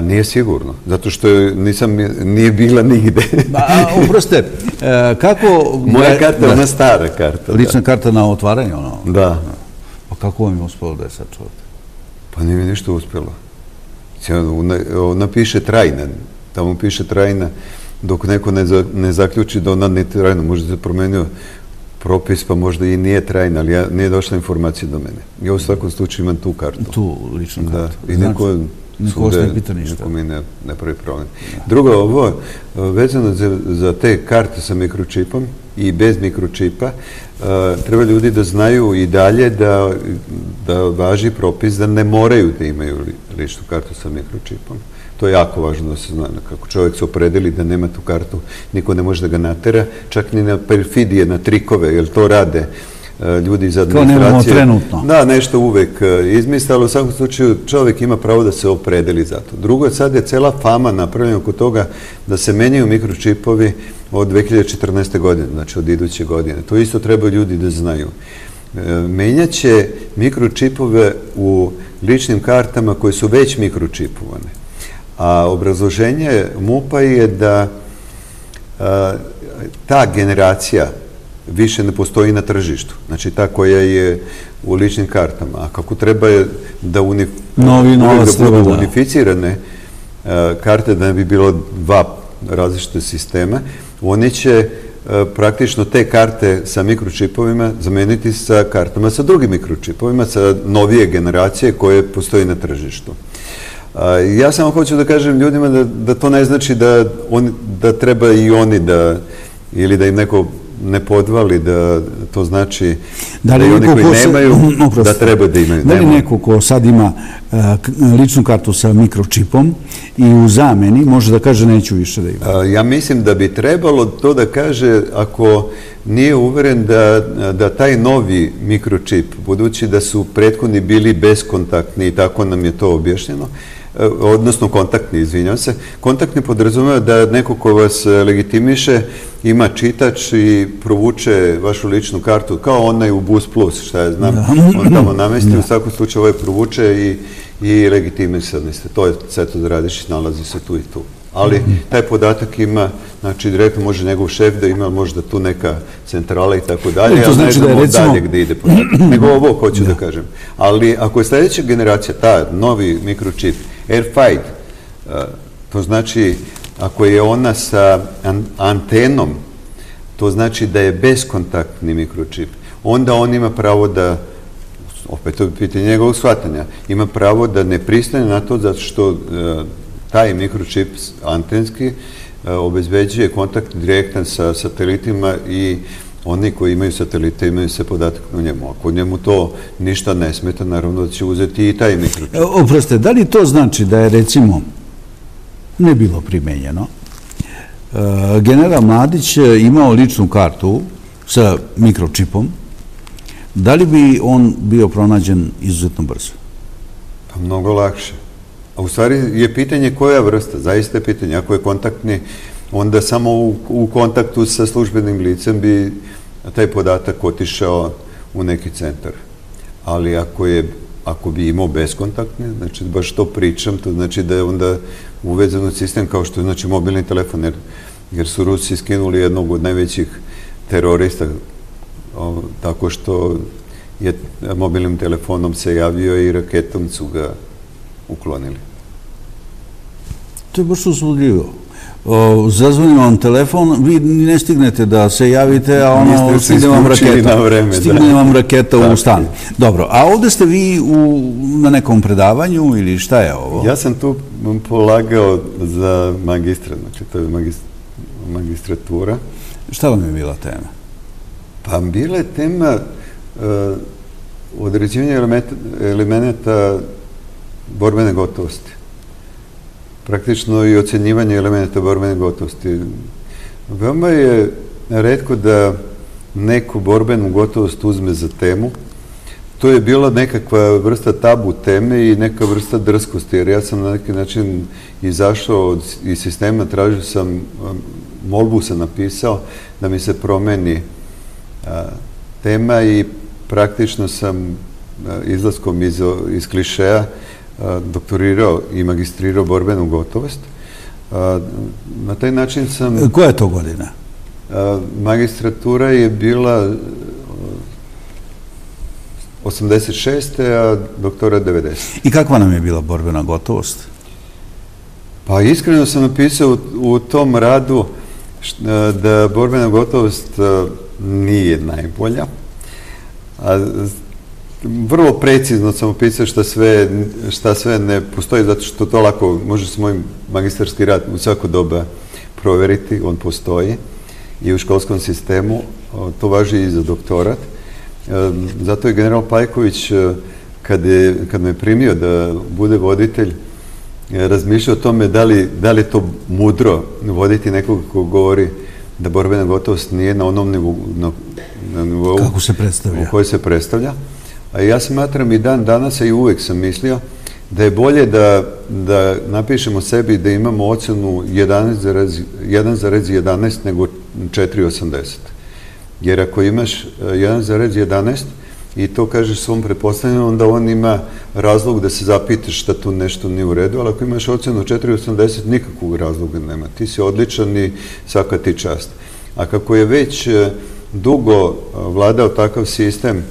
Nije sigurno, zato što nije bila nigde. Oprostite, kako... Moja karta je ona stara karta. Lična karta na otvaranje, ono? Da. Pa kako vam je uspelo da je sačuvate? Pa nije mi ništa uspelo. Ona piše trajna, tamo piše trajna, dok neko ne zaključi da ona ne trajna, možda se promenio propis, pa možda i nije trajna, ali nije došla informacija do mene. Ja u svakom slučaju imam tu kartu. Tu ličnu kartu. Da, i neko ne pita ništa. Neko mi ne pravi problem. Drugo, ovo, vezano za te karte sa mikročipom i bez mikročipa, treba ljudi da znaju i dalje da važi propis da ne moraju da imaju ličnu kartu sa mikročipom. To je jako važno da se zna. Kako čovjek se opredeli da nema tu kartu, niko ne može da ga natera, čak ni na perfidije, na trikove, jer to rade ljudi iz administracije. To nemamo trenutno. Da, nešto uvek izmisle, ali u svakom slučaju čovjek ima pravo da se opredeli za to. Drugo, sad je cela fama napravljena oko toga da se menjaju mikročipovi od 2014. godine, znači od iduće godine. To isto trebaju ljudi da znaju. Menjaće mikročipove u ličnim kartama koje su već mikročipovane. A obrazloženje MUP-a je da ta generacija više ne postoji na tržištu. Znači ta koja je u ličnim kartama. A kako treba da budu unificirane karte, da ne bi bilo dva različite sistema, oni će praktično te karte sa mikročipovima zameniti sa kartama sa drugim mikročipovima, sa novije generacije koje postoji na tržištu. Ja samo hoću da kažem ljudima da to ne znači da treba i oni ili da im neko ne podvali, da to znači da i oni koji nemaju, da treba da imaju. Da li neko ko sad ima ličnu kartu sa mikročipom i u zameni može da kaže neću više da ima? Ja mislim da bi trebalo to da kaže ako nije uveren da taj novi mikročip, budući da su prethodni bili beskontaktni i tako nam je to objašnjeno, odnosno kontaktni, izvinjam se. Kontaktni podrazumeva da neko ko vas legitimiše ima čitač i provuče vašu ličnu kartu, kao onaj u Bus Plus, šta ja znam, on tamo namesti, u svakom slučaju ovaj provuče i legitimisani ste. To je Ceto Radišić, nalazi se tu i tu. Ali taj podatak ima, znači direktno može njegov šef da ima možda tu neka centrala i tako dalje, ali ne znamo dalje gde ide podatak. Nego ovo hoću da kažem. Ali ako je sljedeća generacija, ta novi mikročip, AirFight, to znači ako je ona sa antenom, to znači da je beskontaktni mikročip, onda on ima pravo da, opet to je pitanje njegovog shvatanja, ima pravo da ne pristane na to zato što taj mikročip antenski obezbeđuje kontakt direktan sa satelitima i oni koji imaju satelite imaju se podatak na njemu. Ako njemu to ništa ne smeta, naravno da će uzeti i taj mikročip. Oprostite, da li to znači da je recimo ne bilo primenjeno general Mladić imao ličnu kartu sa mikročipom, da li bi on bio pronađen izuzetno brzo? Pa mnogo lakše. A u stvari je pitanje koja vrsta, zaista je pitanje. Ako je kontaktni, onda samo u kontaktu sa službenim licem bi taj podatak otišao u neki centar. Ali ako bi imao beskontaktni, znači baš to pričam, to znači da je onda uvezan u sistem kao što je znači mobilni telefon, jer su Rusi skinuli jednog od najvećih terorista tako što je mobilnim telefonom se javio i raketom su ga uklonili. To je baš uzbudljivo. Zazvoni vam telefon, vi ne stignete da se javite, a ono stigne vam raketa u stan. Dobro, a ovdje ste vi na nekom predavanju ili šta je ovo? Ja sam tu polagao za magistra, znači to je magistratura. Šta vam je bila tema? Pa bila je tema određivanja elemenata borbene gotovosti. Praktično i ocjenjivanje elementa borbene gotovosti. Veoma je retko da neku borbenu gotovost uzme za temu. To je bila nekakva vrsta tabu teme i neka vrsta drskosti, jer ja sam na neki način izašao iz sistema, tražio sam, molbu sam napisao da mi se promeni tema i praktično sam izlaskom iz klišeja doktorirao i magistrirao borbenu gotovost. Na taj način sam... Koja je to godina? Magistratura je bila 86. a doktora 90. I kakva nam je bila borbena gotovost? Pa iskreno sam napisao u tom radu da borbena gotovost nije najbolja. Vrlo precizno sam opisao šta sve ne postoji, zato što to lako može se moj magistarski rad u svako doba provjeriti, on postoji i u školskom sistemu, to važi i za doktorat. Zato je general Pajković, kad me primio da bude voditelj, razmišljao o tome da li je to mudro voditi nekog ko govori da borbena gotovost nije na onom nivou kako se predstavlja. U kojoj se predstavlja. A ja smatram i dan danas, i uvijek sam mislio, da je bolje da napišemo sebi da imamo ocjenu 1,11 nego 4,80. Jer ako imaš 1,11 i to kažeš svom pretpostavljenom, onda on ima razlog da se zapitaš šta tu nešto nije u redu, ali ako imaš ocjenu 4,80, nikakvog razloga nema. Ti si odličan i svaka ti čast. A kako je već dugo vladao takav sistem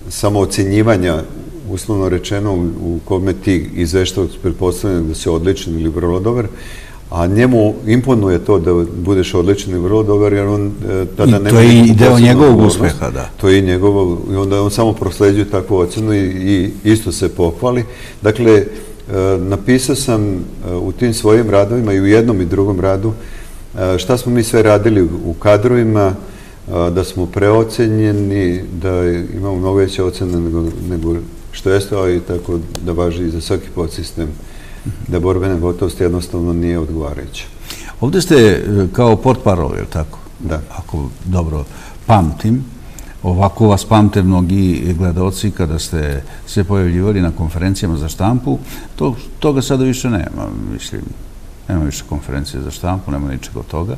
samoocjenjivanja, uslovno rečeno, u kome ti izveštavaš pretpostavljeno da si odličan ili vrlo dobar, a njemu imponuje to da budeš odličan i vrlo dobar, jer on tada nema... I to je i deo njegovog uspeha, da. To je i njegovo, i onda on samo prosleđuje takvu ocenu i isto se pohvali. Dakle, napisao sam u tim svojim radovima i u jednom i drugom radu šta smo mi sve radili u kadrovima, da smo preocenjeni, da imamo mnogo veće ocene nego što jeste, a i tako da važi i za svaki podsistem, da borbena gotovost jednostavno nije odgovarajuća. Ovdje ste kao portparol, je li tako? Da. Ako dobro pamtim, ovako vas pamte mnogi gledalci kada ste se pojavljivali na konferencijama za štampu, toga sada više nema, mislim. Nema više konferencije za štampu, nema ničeg od toga,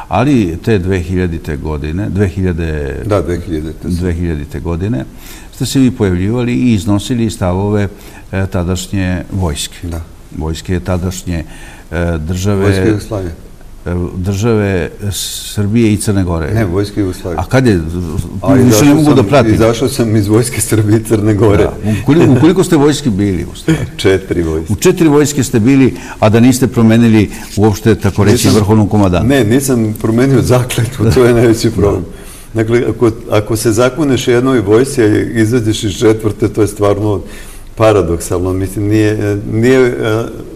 ali te 2000. godine, 2000. godine, ste se vi pojavljivali i iznosili stavove tadašnje vojske. Da. Vojske tadašnje države... Vojske Jugoslavije. Države Srbije i Crne Gore. Ne, Vojske Jugoslavije. A kad je? Više ne mogu da pratim. Izašao sam iz Vojske Srbije i Crne Gore. U koliko ste vojski bili, u stvari? 4 vojske. U 4 vojske ste bili, a da niste promenili uopšte, tako reći, vrhovnog komandanta. Ne, nisam promenio zakletvu, to je najveći problem. Dakle, ako se zakuneš jednoj vojsci, a izađeš iz 4, to je stvarno paradoksalno. Mislim, nije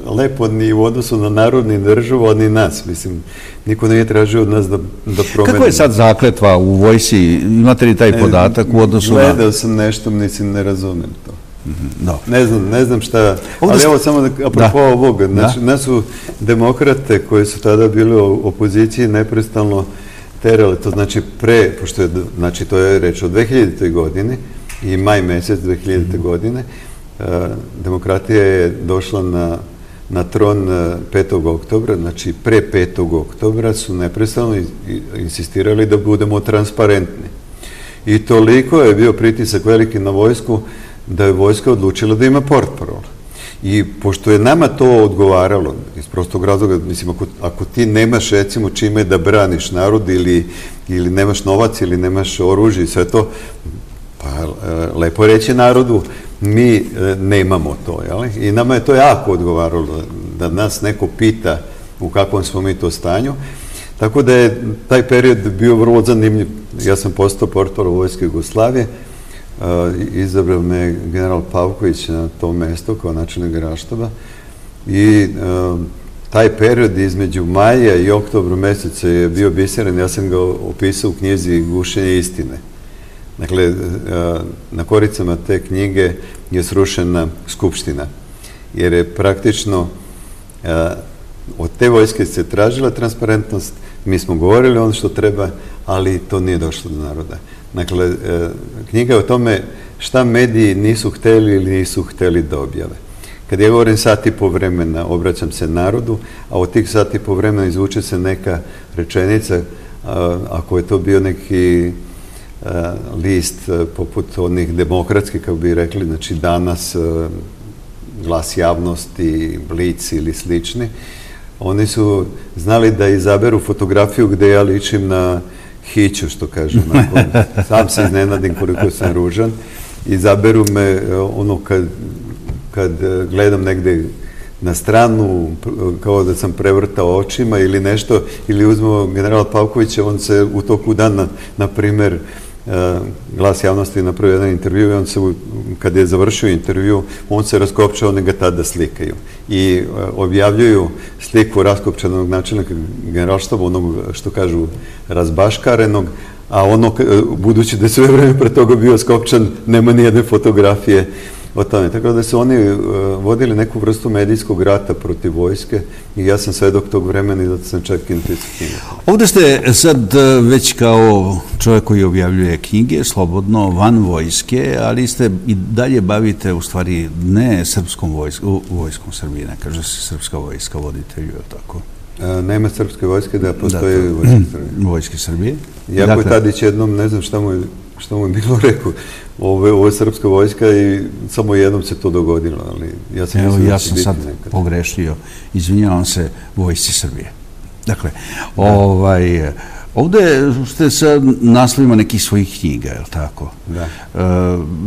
lepo ni u odnosu na narod, ni državu, a ni nas. Mislim, niko nije tražio od nas da promenimo. Kako je sad zakletva u vojsci? Imate li taj podatak u odnosu na... Gledao sam nešto, mislim, ne razumem to. Ne znam šta, ali evo samo apropo ovoga, znači nas su demokrate koji su tada bili u opoziciji neprestalno terali, to znači pošto je, znači to je reč od 2000. godine i maj mesec 2000. godine, demokratija je došla na tron 5. oktobra, znači pre 5. oktobra su neprestano insistirali da budemo transparentni. I toliko je bio pritisak veliki na vojsku da je vojska odlučila da ima portparol. I pošto je nama to odgovaralo, iz prostog razloga, mislim, ako ti nemaš, recimo, čime da braniš narod ili nemaš novac ili nemaš oružje i sve to, pa lepo reći narodu, mi nemamo to, jel? I nama je to jako odgovaralo, da nas neko pita u kakvom smo mi to stanju. Tako da je taj period bio vrlo zanimljiv. Ja sam postao portparol Vojske Jugoslavije, izabrao me general Pavković na to mesto kao načelnik Generalštaba i taj period između maja i oktobra meseca je bio biseran. Ja sam ga opisao u knjizi Gušenje istine. Dakle, na koricama te knjige je srušena Skupština, jer je praktično od te vojske se tražila transparentnost, mi smo govorili ono što treba, ali to nije došlo do naroda. Dakle, knjiga je o tome šta mediji nisu hteli ili nisu hteli da objave. Kad ja govorim sat i po vremena, obraćam se narodu, a od tih sat i po vremena izvuče se neka rečenica, ako je to bio neki list poput onih demokratskih, kako bi rekli, znači Danas, Glas javnosti, Blic ili slični, oni su znali da izaberu fotografiju gde ja ličim na hiću, što kažem. Sam se iznenadim koliko sam ružan. Izaberu me ono kad gledam negde na stranu, kao da sam prevrtao očima ili nešto, ili uzmemo generala Pavkovića, on se u toku dana, na primer, Glas javnosti napravio jedan intervju i on se, kad je završio intervju, on se raskopčao, oni ga tada slikaju. I objavljuju sliku raskopčanog načelnika generalštaba, onog što kažu razbaškarenog, a ono, budući da je sve vreme pre toga bio skopčan, nema nijedne fotografije o tome. Tako da su oni vodili neku vrstu medijskog rata protiv vojske i ja sam svedok tog vremena i zato sam čak i napisao knjigu. Ovde ste sad već kao čovjek koji objavljuje knjige, slobodno, van vojske, ali ste i dalje bavite, u stvari, ne srpskom vojskom Srbije, ne kaže se srpska vojska, voditelju, je li tako? Nema srpske vojske, da postoje vojske Srbije. Vojske Srbije. Jako je Tadić jednom, ne znam šta mu je bilo rekao, ovo je srpska vojska i samo jednom se to dogodilo, ali ja sam mislio da će biti nekad. Ja sam sad pogrešio, izvinjavam se, vojsci Srbije. Dakle, ovde ste sa naslovima nekih svojih knjiga, je li tako? Da.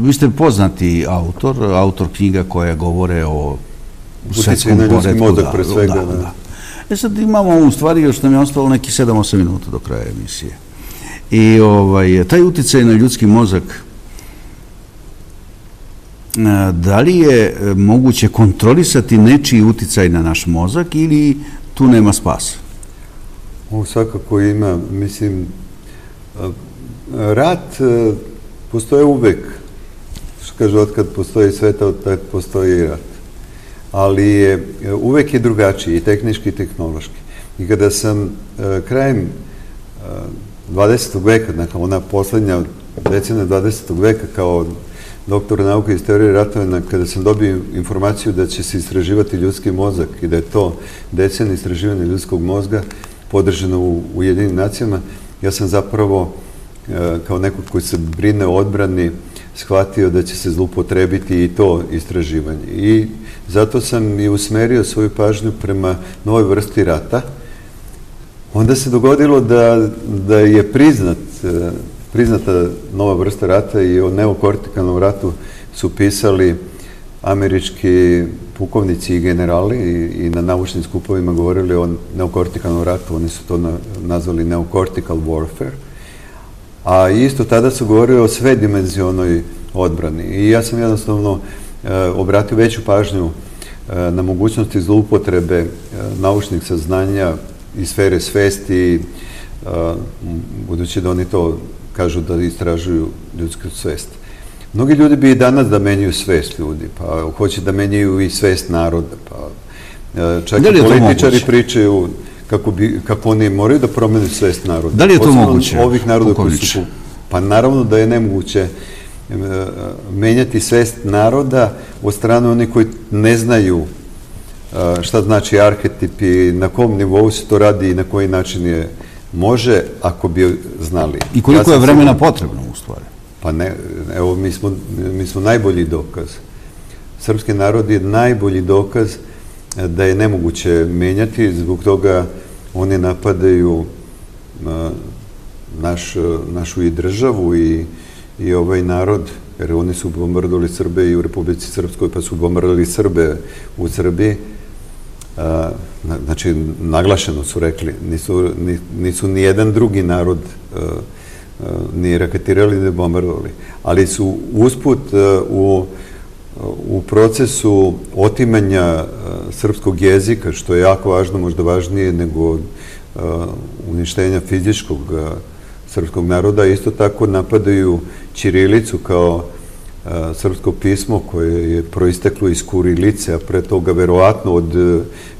Vi ste poznati autor knjiga koje govore o svetskom poretku. Uticaj na ljudski mozak, pre svega. Da. Sad imamo, u stvari, još nam je ostalo neki 7-8 minuta do kraja emisije. I taj uticaj na ljudski mozak, da li je moguće kontrolisati nečiji uticaj na naš mozak ili tu nema spasa? Ovo svakako ima, mislim, rat postoje uvek, što kaže, otkad postoji sveta, otkad postoji i rat. Ali uvek je drugačiji, i tehnički i tehnološki. I kada sam krajem 20. veka, dakle ona poslednja decenija 20. veka kao doktor nauke iz teorije ratovanja, kada sam dobio informaciju da će se istraživati ljudski mozak i da je to decenija istraživanja ljudskog mozga podržano u Ujedinjenim nacijama, ja sam zapravo kao neko koji se brine o odbrani shvatio da će se zloupotrebiti i to istraživanje. I zato sam i usmerio svoju pažnju prema novoj vrsti rata. Onda se dogodilo da je priznata nova vrsta rata i o neokortikalnom ratu su pisali američki pukovnici i generali i na naučnim skupovima govorili o neokortikalnom ratu. Oni su to nazvali neocortical warfare. A isto tada su govorili o svedimenzionoj odbrani. I ja sam jednostavno obratio veću pažnju na mogućnosti zloupotrebe naučnih saznanja iz sfere svesti, budući da oni to kažu da istražuju ljudsku svest. Mnogi ljudi bi i danas da menjaju svest ljudi, pa hoće da menjaju i svest naroda, pa čak i političari pričaju kako oni moraju da promene svest naroda. Da li je to moguće? Ovih naroda koji su... Pa naravno da je nemoguće menjati svest naroda od strane onih koji ne znaju šta znači arhetip i na kom nivou se to radi i na koji način je može, ako bi znali. I koliko je vremena potrebno, u stvari? Pa ne, evo, mi smo najbolji dokaz. Srpski narod je najbolji dokaz da je nemoguće menjati, zbog toga oni napadaju našu i državu i ovaj narod, jer oni su bombardovali Srbe i u Republici Srpskoj, pa su bombardovali Srbe u Srbiji. Znači, naglašeno su rekli, nisu ni jedan drugi narod ni raketirali, ni bombardovali, ali su usput u procesu otimanja srpskog jezika, što je jako važno, možda važnije nego uništenja fizičkog srpskog naroda, isto tako napadaju ćirilicu kao srpsko pismo koje je proisteklo iz kurilice, a pre toga verovatno od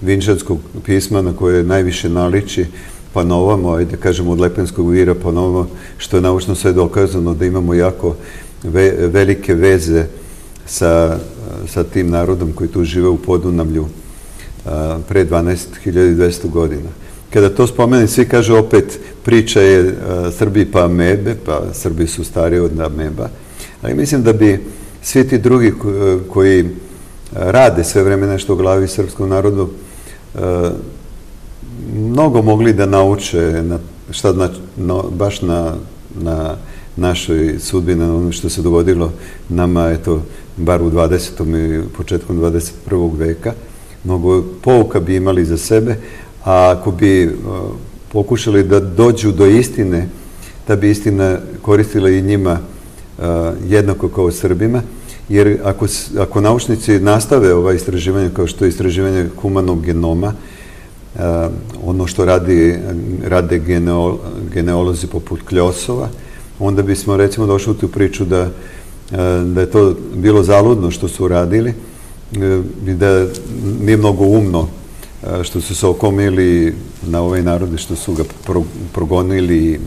vinčanskog pisma na koje najviše naliči, pa na ovamo, ajde kažemo od Lepenskog vira, pa na ovamo, što je naučno sve dokazano da imamo jako velike veze sa tim narodom koji tu žive u Podunavlju pre 12.200 godina. Kada to spomenem, svi kaže opet priča je Srbi pa amebe, pa Srbi su stariji od ameba, ali mislim da bi svi ti drugi koji rade sve vreme nešto u glavi srpskom narodu mnogo mogli da nauče šta znači baš na našoj sudbini, na ono što se dogodilo nama, eto, bar u 20. i početkom 21. veka. mnogo pouka bi imali za sebe, a ako bi pokušali da dođu do istine, ta bi istina koristila i njima jednako kao Srbima, jer ako naučnici nastave ova istraživanja kao što je istraživanje humanog genoma, ono što rade geneolozi poput Kljosova, onda bismo recimo došli u tu priču da je to bilo zaludno što su radili i da nije mnogo umno što su se okomili na ovaj narod, što su ga progonili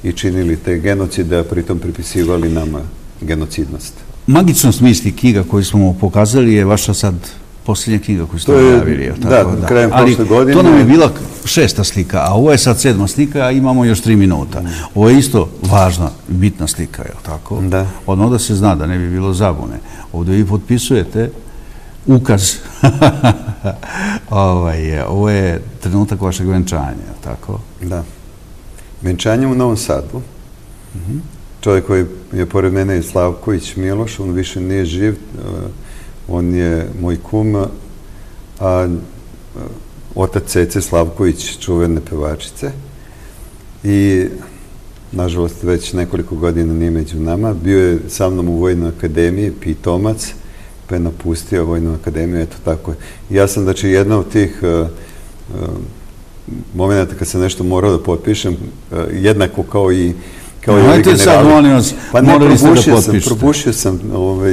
i činili te genocide, a pritom pripisivali nama genocidnost. Magičnost misli knjiga koju smo pokazali je vaša sad posljednja knjiga koju ste objavili. Da, krajem prošle godine. To nam je bila 6. slika, a ovo je sad 7. slika, a imamo još 3 minuta. Ovo je isto važna, bitna slika, je li tako? Da. Odmah da se zna, da ne bi bilo zabune. Ovdje vi potpisujete ukaz. Ovo je trenutak vašeg venčanja, je li tako? Da. Venčanje u Novom Sadu. Čovjek koji je pored mene je Slavković Miloš, on više nije živ, on je moj kum, a otac Cece Slavković, čuvene pevačice. I, nažalost, već nekoliko godina nije među nama. Bio je sa mnom u Vojnoj akademiji, pitomac, pa je napustio Vojnu akademiju, eto tako. Ja sam, znači, jedna od tih momenta kad sam nešto morao da potpišem, jednako kao i Ajte sad, molim vas, morali ste da potpišete. Probušio sam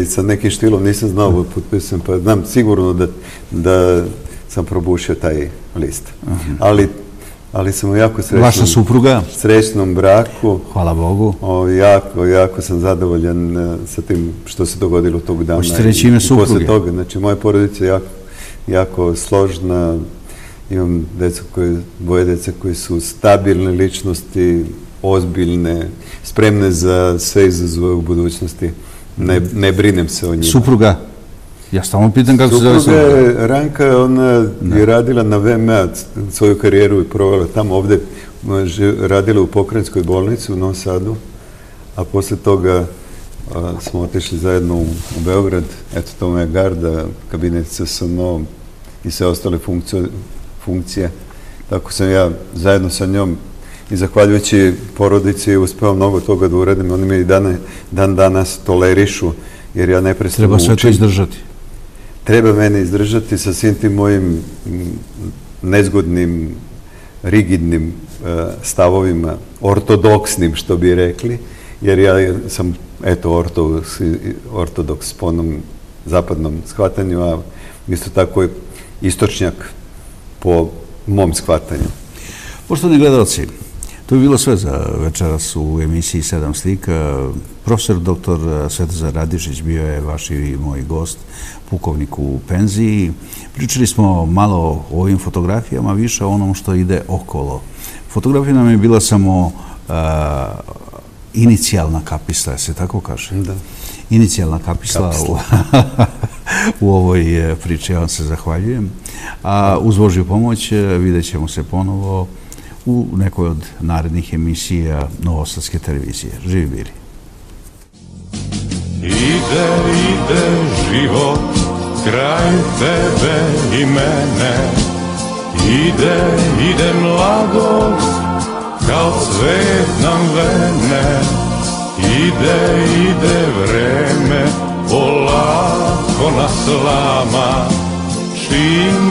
sa nekim štilom, nisam znao da potpišem, pa znam sigurno da sam probušio taj list. Ali sam u jako Vaša supruga? Srećnom braku. Hvala Bogu. Jako sam zadovoljan sa tim što se dogodilo tog dana. Hoćete reći ime supruge? Znači, moja porodica je jako složna. Imam dvoje djece koji su stabilne ličnosti, ozbiljne, spremne za sve izazove u budućnosti. Ne brinem se o njima. Supruga? Ja stalno pitam kako se zove supruga. Supruga je Ranka, ona je radila na VMA svoju karijeru i provela tamo. Ovde radila u Pokrajinskoj bolnici u Novom Sadu, a posle toga smo otišli zajedno u Beograd. Eto, to je garda, kabinet CSNO i sve ostale funkcije. Tako sam ja zajedno sa njom i zahvaljujući porodici uspeo mnogo toga da uradim. Oni me i dan danas tolerišu, jer ja neprestano učim. Treba sve to izdržati. Treba mene izdržati sa svim tim mojim nezgodnim, rigidnim stavovima, ortodoksnim, što bi rekli, jer ja sam, eto, ortodoks po onom zapadnom shvatanju, a isto tako je istočnjak po mom shvatanju. Poštovani gledalci, to je bilo sve za večeras u emisiji 7 slika. Profesor dr. Svetozar Radišić bio je vaš i moj gost, pukovnik u penziji. Pričali smo malo o ovim fotografijama, više o onom što ide okolo. Fotografija nam je bila samo inicijalna kapisla, se tako kaže? Da. Inicijalna kapisla u ovoj priči. Ja vam se zahvaljujem. A uz Božju pomoć vidjet ćemo se ponovo u nekoj od narednih emisija Novosadske televizije. Živi bili! Ide život kraj tebe i mene. Ide mladost kao cvet nam vene. Ide vreme polako nas lama. Čim